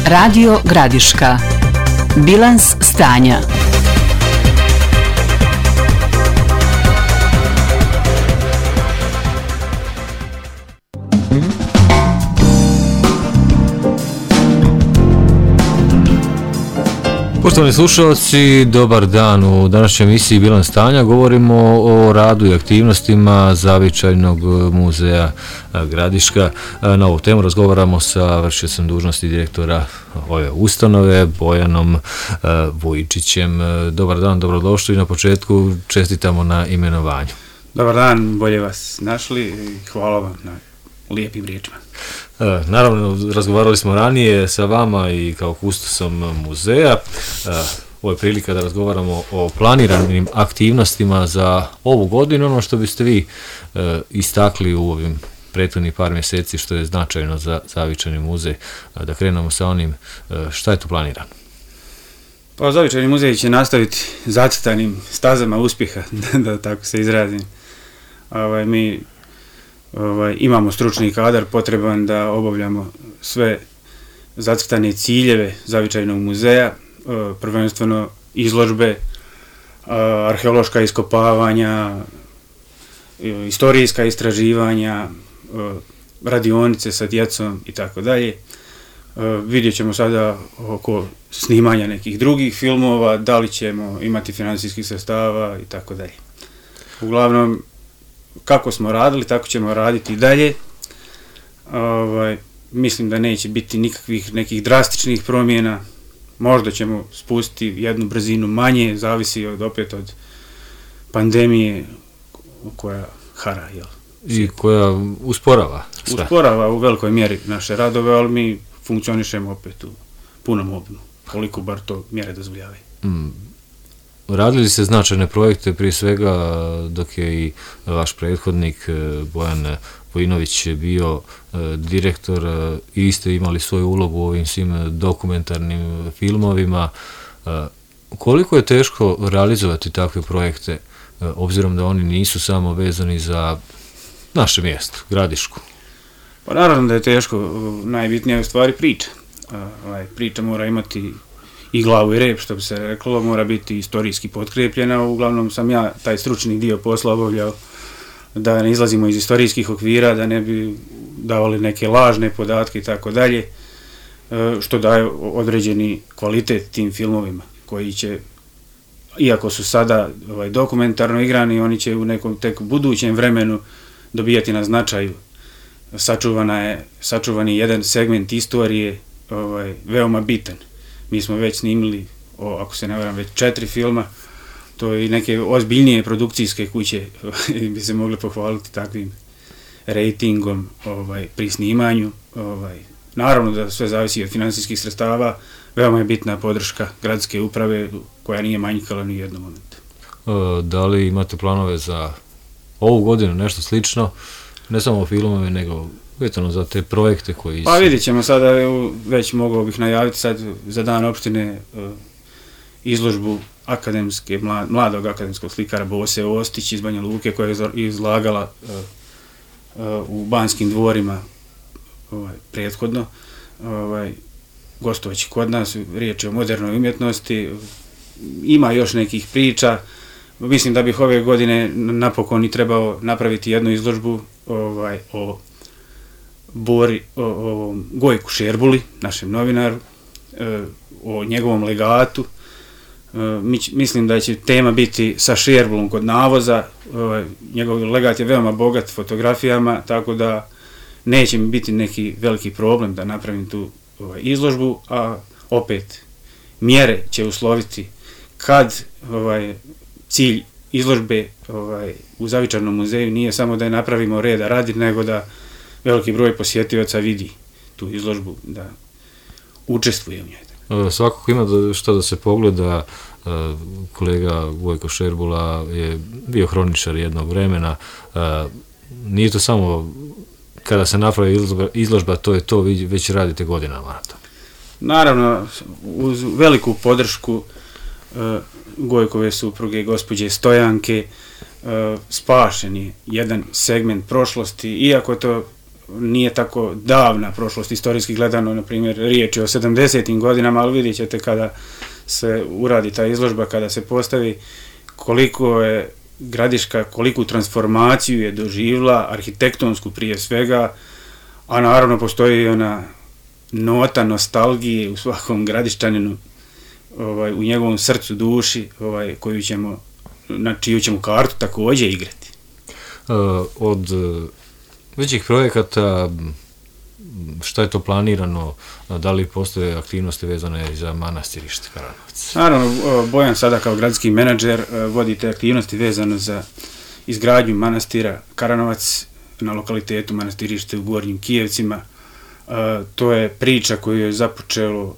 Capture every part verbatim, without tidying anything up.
Radio Gradiška. Bilans stanja. Poštovani slušalci, dobar dan. U današnjoj emisiji Bilans stanja govorimo o radu i aktivnostima Zavičajnog muzeja Gradiška. Na ovu temu razgovaramo sa vršiocem dužnosti direktora ove ustanove, Bojanom Vujičićem. Dobar dan, dobrodošli. Na početku čestitamo na imenovanju. Dobar dan, bolje vas našli i hvala vam na lijepim riječima. Naravno, razgovarali smo ranije sa vama i kao kustosom muzeja. Ovo je prilika da razgovaramo o planiranim aktivnostima za ovu godinu, ono što biste vi istakli u ovim prethodnih par mjeseci što je značajno za Zavičajni muzej. Da krenemo sa onim šta je tu planirano. Pa Zavičajni muzej će nastaviti zacrtanim stazama uspjeha, da tako se izrazim. Ovaj, mi Ovaj, imamo stručni kadar potreban da obavljamo sve zacrtane ciljeve Zavičajnog muzeja, prvenstveno izložbe, arheološka iskopavanja, istorijska istraživanja, radionice sa djecom i tako dalje. Vidjet ćemo sada oko snimanja nekih drugih filmova, da li ćemo imati financijskih sredstava i tako dalje. Uglavnom, kako smo radili, tako ćemo raditi i dalje. Ovaj, mislim da neće biti nikakvih nekih drastičnih promjena. Možda ćemo spustiti jednu brzinu manje, zavisi od, opet od pandemije koja hara, jel? I koja usporava sve. Usporava u velikoj mjeri naše radove, ali mi funkcionišemo opet u punom obimu, koliko bar to mjere dozvoljavaju. Mm. Radili se značajne projekte, prije svega dok je i vaš prethodnik Bojan Vojinović bio direktor i ste imali svoju ulogu u ovim svim dokumentarnim filmovima. Koliko je teško realizovati takve projekte, obzirom da oni nisu samo vezani za naše mjesto, Gradišku? Pa naravno da je teško, najbitnija je u stvari priča. Priča mora imati i glavu i rep, što bi se reklo, mora biti istorijski potkrepljena. Uglavnom sam ja taj stručni dio posla obavljao da ne izlazimo iz istorijskih okvira, da ne bi davali neke lažne podatke i tako dalje, što daje određeni kvalitet tim filmovima koji će, iako su sada ovaj, dokumentarno igrani, oni će u nekom tek budućem vremenu dobijati na značaju. Sačuvana je, sačuvan je jedan segment istorije ovaj, veoma bitan. Mi smo već snimili, o, ako se ne varam, već četiri filma, to i neke ozbiljnije produkcijske kuće bi se mogli pohvaliti takvim rejtingom ovaj, pri snimanju. Ovaj. Naravno da sve zavisi od financijskih sredstava, veoma je bitna podrška gradske uprave koja nije manjkala ni u jednom momentu. E, da li imate planove za ovu godinu, nešto slično, ne samo filmove, nego vezano za te projekte koji su... Pa vidjet ćemo sada, već mogao bih najaviti sad za dan opštine uh, izložbu akademske, mlad, mladog akademskog slikara Bose Ostić iz Banja Luke koja je izlagala uh, uh, u Banskim dvorima ovaj, prethodno. Ovaj, gostovaći kod nas, riječ je o modernoj umjetnosti, ima još nekih priča. Mislim da bih ove godine napokon i trebao napraviti jednu izložbu ovaj, o Bori, o, o Gojku Šerbuli, našem novinaru, e, o njegovom legatu. E, mi, mislim da će tema biti sa Šerbulom kod navoza. E, njegov legat je veoma bogat fotografijama, tako da neće mi biti neki veliki problem da napravim tu ovaj, izložbu, a opet mjere će usloviti kad ovaj, cilj izložbe ovaj, u Zavičajnom muzeju nije samo da je napravimo reda radi, nego da veliki broj posjetioca vidi tu izložbu, da učestvuje u njoj. Svakako ima što da se pogleda. Kolega Gojko Šerbula je bio hroničar jednog vremena. Nije to samo kada se napravi izložba, to je to, vi već radite godinama na to. Naravno, uz veliku podršku Gojkove supruge, gospođe Stojanke, spašen je jedan segment prošlosti, iako to nije tako davna prošlost, istorijski gledano, na primjer, riječ je o sedamdesetim godinama, ali vidjet ćete kada se uradi ta izložba, kada se postavi, koliko je Gradiška, koliku transformaciju je doživjela, arhitektonsku prije svega, a naravno postoji ona nota nostalgije u svakom Gradišćaninu, ovaj, u njegovom srcu, duši, ovaj, koju ćemo, na čiju ćemo kartu također igrati. Uh, od većih projekata, šta je to planirano, da li postoje aktivnosti vezane za manastirište Karanovac? Naravno, Bojan sada kao gradski menadžer vodi te aktivnosti vezano za izgradnju manastira Karanovac na lokalitetu manastirište u Gornjim Kijevcima. To je priča koju je započelo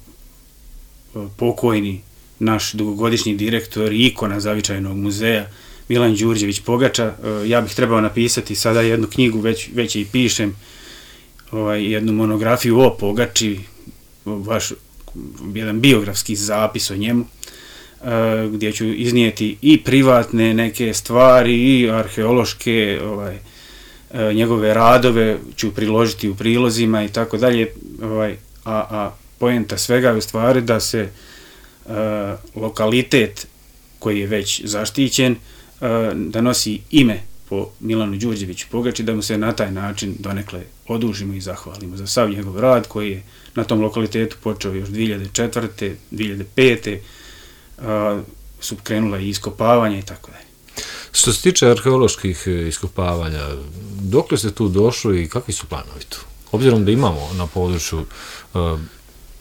pokojni naš dugogodišnji direktor i ikona Zavičajnog muzeja Milan Đurđević Pogača. Ja bih trebao napisati sada jednu knjigu, već, već i pišem, ovaj, jednu monografiju o Pogači, vaš, jedan biografski zapis o njemu, gdje ću iznijeti i privatne neke stvari i arheološke, ovaj, njegove radove ću priložiti u prilozima i tako dalje, ovaj, a, a poenta svega je u stvari da se uh, lokalitet koji je već zaštićen, uh, da nosi ime po Milanu Đurđeviću Pogači, da mu se na taj način donekle odužimo i zahvalimo za sav njegov rad koji je na tom lokalitetu počeo još dvije hiljade četvrte. dvije hiljade pete. Uh, su krenula i iskopavanja i tako dalje. Što se tiče arheoloških iskopavanja, dokle ste tu došli i kakvi su planovi tu? Obzirom da imamo na području uh,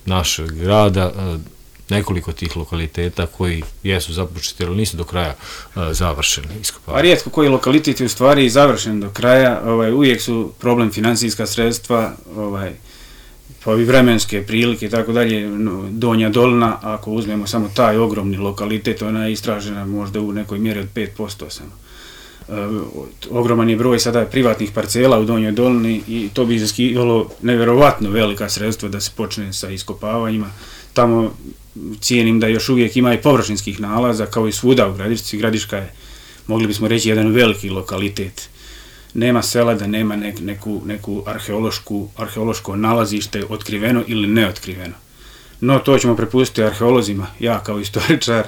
našeg grada uh, nekoliko tih lokaliteta koji jesu započeti, ali nisu do kraja uh, završeni iskopavanja. A rijetko koji lokalitet je u stvari završen do kraja, ovaj, uvijek su problem financijska sredstva, ovaj, pa i vremenske prilike i tako dalje. Donja Dolina, ako uzmemo samo taj ogromni lokalitet, ona je istražena možda u nekoj mjeri od pet posto samo. E, ogroman je broj sada privatnih parcela u Donjoj Dolini i to bi iziskivalo nevjerovatno velika sredstva da se počne sa iskopavanjima. Tamo cijenim da još uvijek ima i površinskih nalaza, kao i svuda u Gradišci. Gradiška je, mogli bismo reći, jedan veliki lokalitet. Nema sela da nema nek, neku, neku arheološku, arheološko nalazište otkriveno ili neotkriveno. No, to ćemo prepustiti arheolozima, ja kao istoričar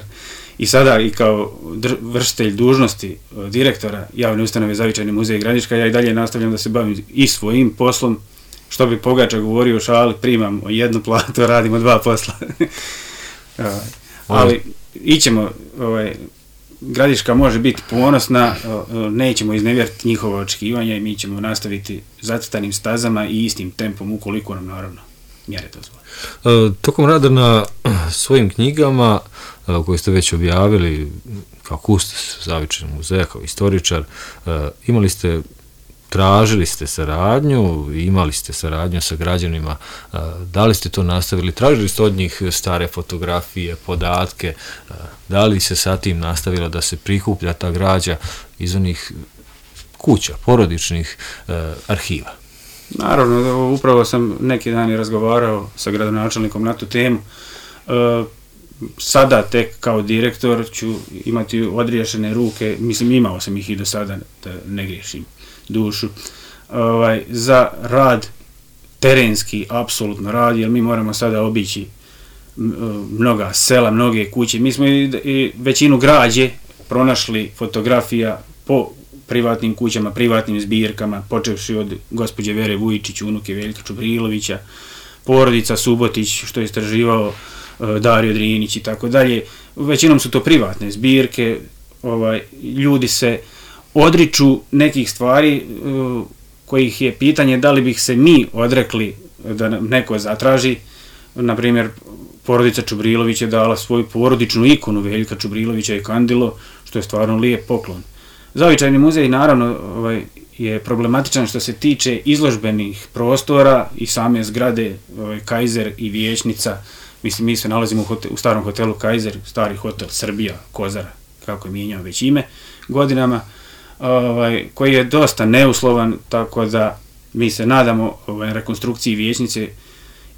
i sada i kao dr, vršitelj dužnosti direktora javne ustanove Zavičajni muzej Gradiška, ja i dalje nastavljam da se bavim i svojim poslom, što bi Pogača govorio u šali, primam jednu platu, radimo dva posla. Ali ićemo, ovaj, Gradiška može biti ponosna, nećemo iznevjeriti njihova očekivanja i mi ćemo nastaviti zacrtanim stazama i istim tempom, ukoliko nam naravno mjere dozvole. Tokom rada na svojim knjigama koje ste već objavili kao kustos Zavičajnog muzeja, kao istoričar, imali ste, tražili ste saradnju, imali ste saradnju sa građanima, da li ste to nastavili, tražili ste od njih stare fotografije, podatke, da li se sa tim nastavilo da se prikuplja ta građa iz onih kuća, porodičnih arhiva? Naravno, upravo sam neki dan i razgovarao sa gradonačelnikom na tu temu. Sada tek kao direktor ću imati odriješene ruke, mislim imao sam ih i do sada, da ne griješim dušu, ovaj, za rad terenski, apsolutno rad, jer mi moramo sada obići mnoga sela, mnoge kuće. Mi smo i, i većinu građe pronašli fotografija po privatnim kućama, privatnim zbirkama, počevši od gospođe Vere Vujičić, unuke Veljka Čubrilovića, porodica Subotić, što je istraživao Dario Drinić i tako dalje. Većinom su to privatne zbirke, ovaj, ljudi se odriču nekih stvari uh, kojih je pitanje da li bih se mi odrekli da nam neko zatraži. Na primjer, porodica Čubrilović je dala svoju porodičnu ikonu Veljka Čubrilovića i kandilo, što je stvarno lijep poklon. Zavičajni muzej naravno ovaj, je problematičan što se tiče izložbenih prostora i same zgrade ovaj, Kaiser i Vijećnica. Mislim, mi se nalazimo u, hotel, u starom hotelu Kaiser, stari hotel Srbija, Kozara, kako je mijenjao već ime godinama, ovaj, koji je dosta neuslovan, tako da mi se nadamo ovaj, rekonstrukciji Vijećnice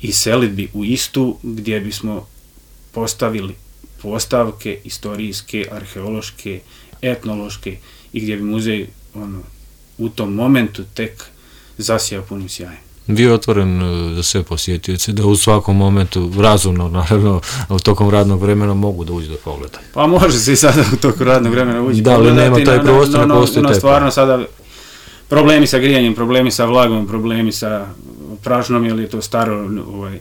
i selidbi u istu, gdje bismo postavili postavke istorijske, arheološke, etnološke i gdje bi muzej ono, u tom momentu tek zasijao punim sjajem. Bio otvoren za sve posjetioce, da u svakom momentu, razumno, naravno, tokom radnog vremena mogu da uđu da pogledaju. Pa može se i sada u toku radnog vremena uđi da, pogledati. Da, li nema taj prostor, ne postoji taj stvarno sada problemi sa grijanjem, problemi sa vlagom, problemi sa prašnom, jer je to staro, ovaj,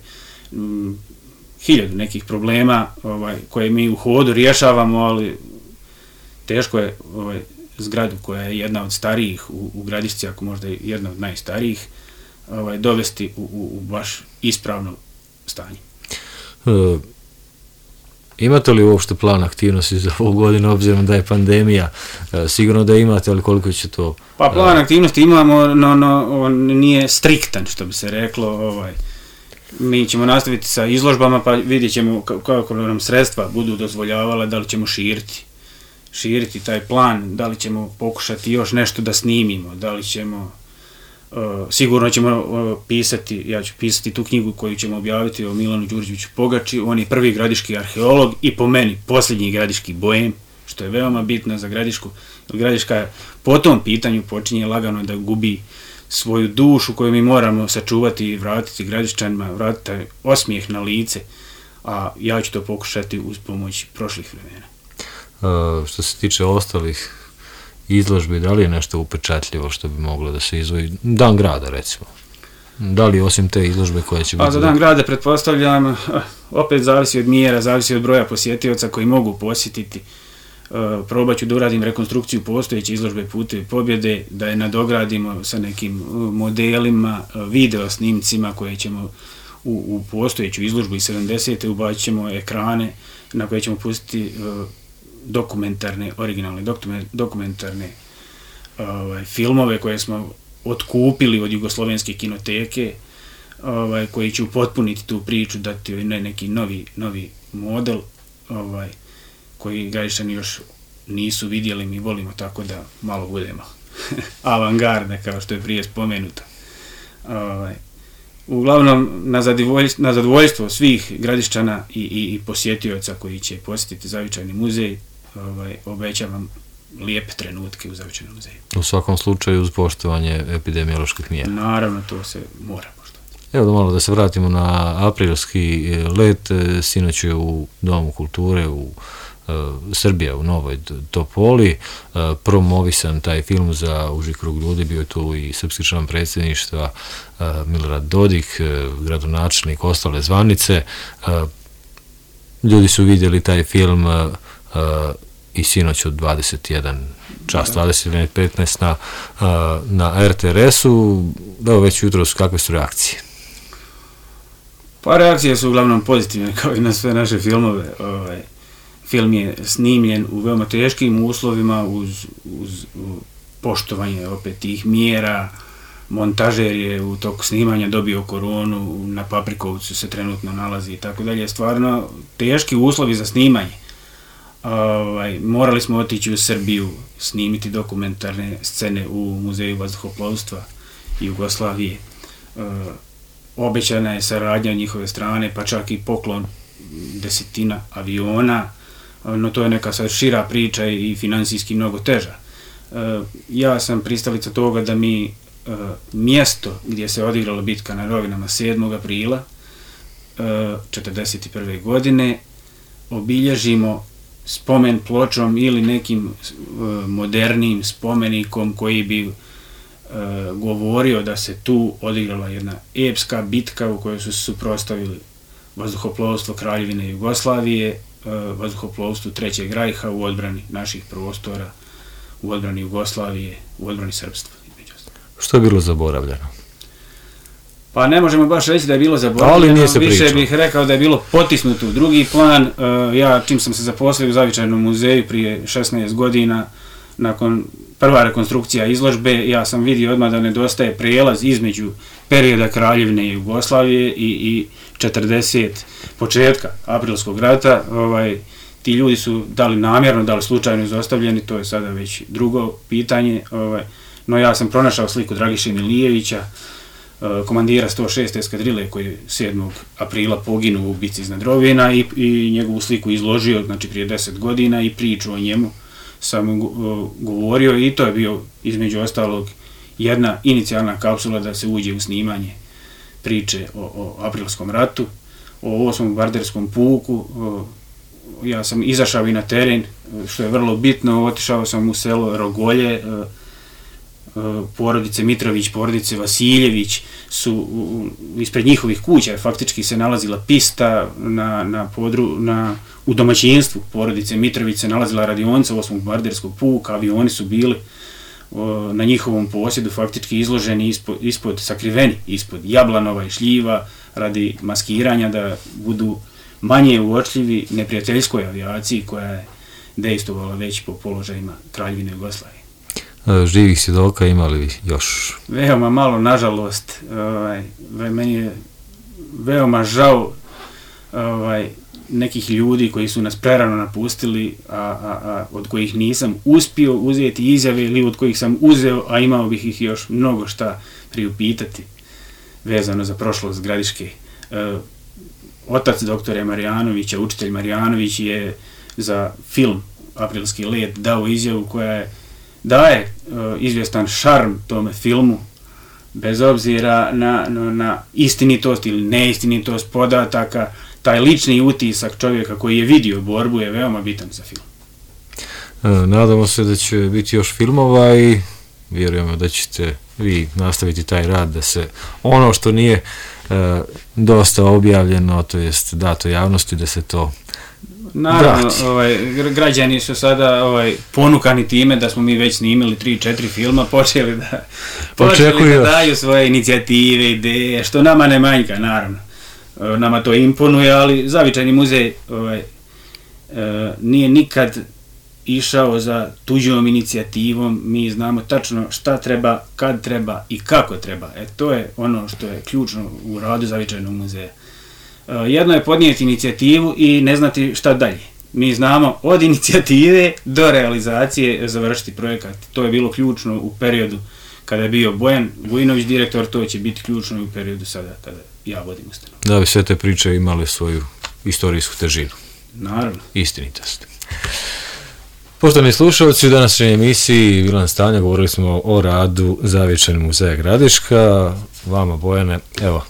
m, hiljadu nekih problema ovaj, koje mi u hodu rješavamo, ali teško je ovaj, zgradu koja je jedna od starijih u, u Gradišci, ako možda je jedna od najstarijih, ovaj, dovesti u, u, u baš ispravno stanje. E, imate li uopšte plan aktivnosti za ovu godinu, obzirom da je pandemija? E, sigurno da imate, ali koliko će to... Pa plan aktivnosti imamo, no, no on nije striktan, što bi se reklo. Ovaj. Mi ćemo nastaviti sa izložbama, pa vidjet ćemo kako nam sredstva budu dozvoljavala, da li ćemo širiti, širiti taj plan, da li ćemo pokušati još nešto da snimimo, da li ćemo... Uh, sigurno ćemo uh, pisati, ja ću pisati tu knjigu koju ćemo objaviti o Milanu Đurđeviću Pogači. On je prvi gradiški arheolog i po meni posljednji gradiški bojem, što je veoma bitno za Gradišku. Gradiška po tom pitanju počinje lagano da gubi svoju dušu koju mi moramo sačuvati i vratiti Gradiščanima, vratiti osmijeh na lice, a ja ću to pokušati uz pomoć prošlih vremena. Uh, što se tiče ostalih izložbi, da li je nešto upečatljivo što bi moglo da se izvoji? Dan grada, recimo. Da li osim te izložbe koje će biti... Pa za dan grada pretpostavljam, opet zavisi od mjera, zavisi od broja posjetioca koji mogu posjetiti. Probat ću da uradim rekonstrukciju postojeće izložbe Putevi pobjede, da je nadogradimo sa nekim modelima, video snimcima koje ćemo u, u postojeću izložbu iz sedamdesete ubacit ćemo ekrane na koje ćemo pustiti dokumentarne, originalne dokumentarne ovaj, filmove koje smo otkupili od Jugoslovenske kinoteke, ovaj, koji će upotpuniti tu priču, dati ne, neki novi, novi model ovaj, koji Gradišćani još nisu vidjeli, mi volimo tako da malo budemo avangarda, kao što je prije spomenuto. Ovaj, uglavnom, na zadovoljstvo, na zadovoljstvo svih Gradišćana i, i, i posjetioca koji će posjetiti Zavičajni muzej, ovaj, obećavam lijepe trenutke u Zavičajnom muzeju. U svakom slučaju uz poštovanje epidemioloških mjera. Naravno, to se mora poštovati. Evo da malo da se vratimo na aprilski let, sinoć je u Domu kulture u uh, Srbija u Novoj Topoli, uh, promovisan taj film za uži krug ljudi, bio je tu i srpski član predsjedništva uh, Milorad Dodik, uh, gradonačelnik, ostale zvanice. Uh, ljudi su vidjeli taj film uh, uh, i sinoć od dvadeset jedan čas, dvadeset jedan petnaest na, uh, na er te er esu. Evo već jutro su kakve su reakcije? Pa reakcije su uglavnom pozitivne, kao i na sve naše filmove. Ovaj, film je snimljen u veoma teškim uslovima uz, uz poštovanje opet tih mjera. Montažer je u toku snimanja dobio koronu, na Paprikovcu se trenutno nalazi i tako dalje. Stvarno teški uslovi za snimanje. Ovaj, morali smo otići u Srbiju, snimiti dokumentarne scene u Muzeju vazduhoplovstva Jugoslavije. E, obećana je saradnja od njihove strane, pa čak i poklon desetina aviona, no to je neka sad šira priča i finansijski mnogo teža. E, ja sam pristalica toga da mi e, mjesto gdje se odigrala bitka na Rovinama sedmog aprila e, četrdeset prve godine obilježimo spomen pločom ili nekim uh, modernim spomenikom koji bi uh, govorio da se tu odigrala jedna epska bitka u kojoj su se suprotstavili vazduhoplovstvo Kraljevine Jugoslavije, uh, vazduhoplovstvu Trećeg rajha u odbrani naših prostora, u odbrani Jugoslavije, u odbrani srpstva. Što je bilo zaboravljeno? Pa ne možemo baš reći da je bilo zaboravljeno, više pričao. Bih rekao da je bilo potisnuto u drugi plan. Uh, ja čim sam se zaposlio u Zavičajnom muzeju prije šesnaest godina, nakon prva rekonstrukcija izložbe, ja sam vidio odmah da nedostaje prijelaz između perioda Kraljevine Jugoslavije i, i četrdeset početka aprilskog rata. Ovaj, ti ljudi su da li namjerno, da li slučajno izostavljeni, to je sada već drugo pitanje. Ovaj, no ja sam pronašao sliku Dragiše Milijevića, komandira sto šeste eskadrile koji je sedmog aprila poginuo u bici iznad Rovina i, i njegovu sliku izložio, znači prije deset godina, i priču o njemu sam govorio, i to je bio između ostalog jedna inicijalna kapsula da se uđe u snimanje priče o, o aprilskom ratu, o osmom bombarderskom puku. O, ja sam izašao i na teren, što je vrlo bitno, otišao sam u selo Rogolje, o, o, porodice Mitrović, porodice Vasiljević su u, ispred njihovih kuća, faktički se nalazila pista na, na podru, na, u domaćinstvu porodice Mitrović se nalazila radionica osmog bombarderskog puka, avioni su bili o, na njihovom posjedu faktički izloženi ispod, ispod, sakriveni ispod jablanova i šljiva radi maskiranja da budu manje uočljivi neprijateljskoj avijaciji koja je dejstvovala već po položajima Kraljevine Jugoslavije. Živih svjedoka imali još? Veoma malo, nažalost. Ovaj, meni je veoma žao ovaj, nekih ljudi koji su nas prerano napustili, a, a, a od kojih nisam uspio uzeti izjave ili od kojih sam uzeo, a imao bih ih još mnogo šta priupitati vezano za prošlost Gradiške. E, otac doktore Marijanovića, učitelj Marijanović, je za film Aprilski let dao izjavu koja je daje uh, izvjestan šarm tome filmu, bez obzira na, na, na istinitost ili neistinitost podataka. Taj lični utisak čovjeka koji je vidio borbu je veoma bitan za film. E, nadamo se da će biti još filmova i vjerujemo da ćete vi nastaviti taj rad, da se ono što nije e, dosta objavljeno, to jest dato javnosti, da se to naravno, ovaj, građani su sada ovaj, ponukani time da smo mi već snimili tri četiri filma, počeli da, počeli da daju svoje inicijative, ideje, što nama ne manjka, naravno. Nama to imponuje, ali Zavičajni muzej ovaj, e, nije nikad išao za tuđom inicijativom. Mi znamo tačno šta treba, kad treba i kako treba. E, to je ono što je ključno u radu Zavičajnog muzeja. Jedno je podnijeti inicijativu i ne znati šta dalje. Mi znamo od inicijative do realizacije završiti projekat. To je bilo ključno u periodu kada je bio Bojan Vujinović direktor, to će biti ključno i u periodu sada kada ja vodim ustanovu. Da bi sve te priče imale svoju istorijsku težinu. Naravno. Istinitost. Poštovani slušalci, u današnjoj emisiji Bilans stanja govorili smo o radu Zavičajnog muzeja Gradiška. Vama, Bojane, evo,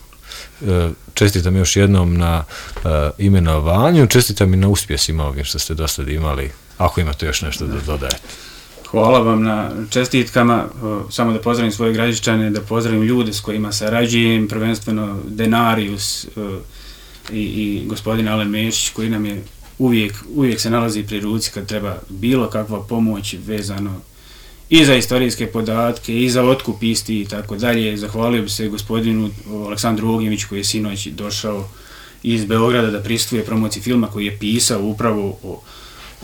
čestitam još jednom na uh, imenovanju, čestitam i na uspjesima ovim što ste do sada imali, ako imate još nešto da dodajete. Hvala vam na čestitkama, samo da pozdravim svoje Gradiščane, da pozdravim ljude s kojima sarađujem, prvenstveno Denarius i, i gospodin Alen Mešić, koji nam je uvijek, uvijek se nalazi pri ruci kad treba bilo kakva pomoć vezano i za istorijske podatke, i za otkup isti i tako dalje. Zahvalio bi se gospodinu Aleksandru Ognjeviću koji je sinoć došao iz Beograda da prisustvuje promociji filma koji je pisao upravo o,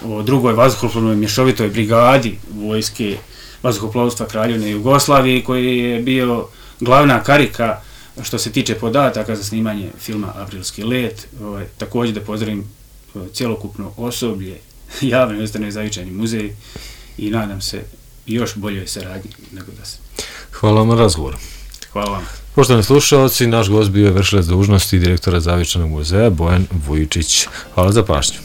o drugoj vazduhoplovnoj mješovitoj brigadi vojske vazduhoplovstva Kraljevine Jugoslavije, koji je bio glavna karika što se tiče podataka za snimanje filma Aprilski let. Ovaj, također da pozdravim cjelokupno osoblje javne ustanove Zavičajni muzej i nadam se još boljoj saradnji nego da se. Hvala vam na razgovoru. Hvala vam. Poštovani slušalci, naš gost bio je vršilac dužnosti direktora Zavičajnog muzeja Bojan Vujčić. Hvala za pažnju.